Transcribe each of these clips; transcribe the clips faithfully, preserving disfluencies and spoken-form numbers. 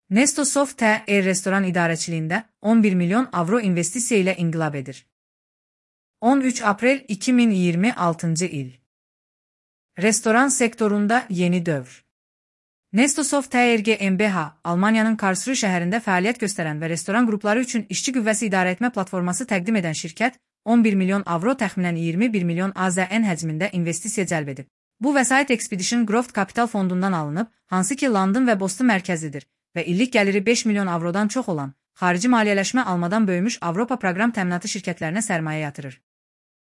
Nestosoft T R restoran idarəçiliyində on bir milyon avro investisiya ilə inqilab edir. on üç aprel iki min iyirmi altıncı il. Restoran sektorunda yeni dövr. Nestosoft T R G m b H, Almaniyanın Karlsruhe şəhərində fəaliyyət göstərən və restoran qrupları üçün işçi qüvvəsi idarə etmə platforması təqdim edən şirkət, on bir milyon avro təxminən iyirmi bir milyon A Z N həcmində investisiya cəlb edib. Bu vəsait Expedition Growth Capital fondundan alınıb, hansı ki London və Boston mərkəzidir və illik gəliri beş milyon avrodan çox olan, xarici maliyyələşmə almadan böyümüş Avropa proqram təminatı şirkətlərinə sərmayə yatırır.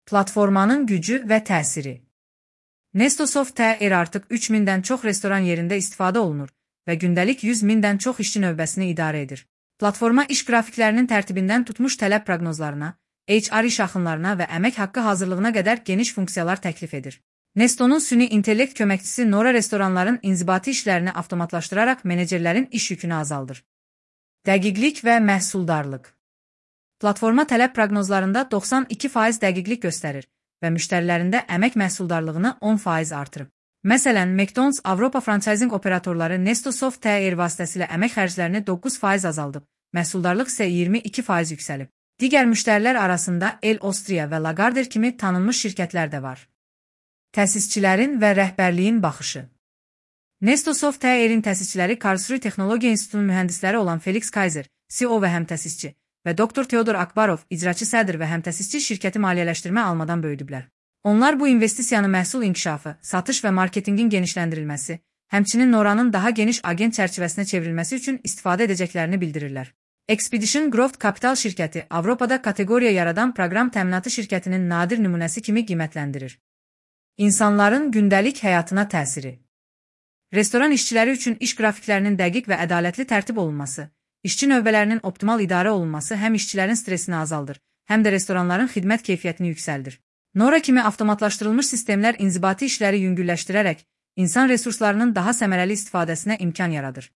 Platformanın gücü və təsiri. Nestosoft T R artıq üç mindən çox restoran yerində istifadə olunur və gündəlik yüz mindən çox işçi növbəsini idarə edir. Platforma iş qrafiklərinin tərtibindən tutmuş tələb proqnozlarına, H R iş axınlarına və əmək haqqı hazırlığına qədər geniş funksiyalar təklif edir. Nestonun süni intellekt köməkçisi Nora restoranların inzibati işlərini avtomatlaşdıraraq menecerlərin iş yükünü azaldır. Dəqiqlik və məhsuldarlıq. Platforma tələb proqnozlarında doxsan iki faiz dəqiqlik göstərir və müştərilərində əmək məhsuldarlığını on faiz artırıb. Məsələn, McDonald's Avropa fransayzinq operatorları Nestosoft T R vasitəsilə əmək xərclərini doqquz faiz azaldıb, məhsuldarlıq isə iyirmi iki faiz yüksəlib. Digər müştərilər arasında El Austria və Lagardère kimi tanınmış şirkətlər də var. Təsisçilərin və rəhbərliyin baxışı. Nestosoft T R-in təsisçiləri Karlsruhe Texnologiya İnstitutunun mühəndisləri olan Felix Kaiser, C E O və həmtəsisçi və doktor Teodor Akbarov, icraçı sədr və həmtəsisçi şirkəti maliyyələşdirmə almadan böyüdüblər. Onlar bu investisiyanı məhsul inkişafı, satış və marketinqin genişləndirilməsi, həmçinin Nora'nın daha geniş agent çərçivəsinə çevrilməsi üçün istifadə edəcəklərini bildirirlər. Expedition Growth Capital şirkəti Avropada kateqoriya yaradan proqram təminatı şirkətinin nadir nümunəsi kimi qiymətləndirir. İnsanların gündəlik həyatına təsiri. Restoran işçiləri üçün iş qrafiklərinin dəqiq və ədalətli tərtib olunması, işçi növbələrinin optimal idarə olunması həm işçilərin stresini azaldır, həm də restoranların xidmət keyfiyyətini yüksəldir. Nora kimi avtomatlaşdırılmış sistemlər inzibati işləri yüngülləşdirərək, insan resurslarının daha səmərəli istifadəsinə imkan yaradır.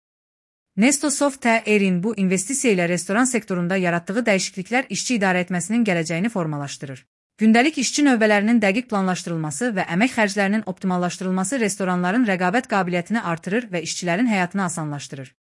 Nestosoft T R-in bu investisiya ilə restoran sektorunda yaratdığı dəyişikliklər işçi idarə etməsinin gələcəyini formalaşdırır. Gündəlik işçi növbələrinin dəqiq planlaşdırılması və əmək xərclərinin optimallaşdırılması restoranların rəqabət qabiliyyətini artırır və işçilərin həyatını asanlaşdırır.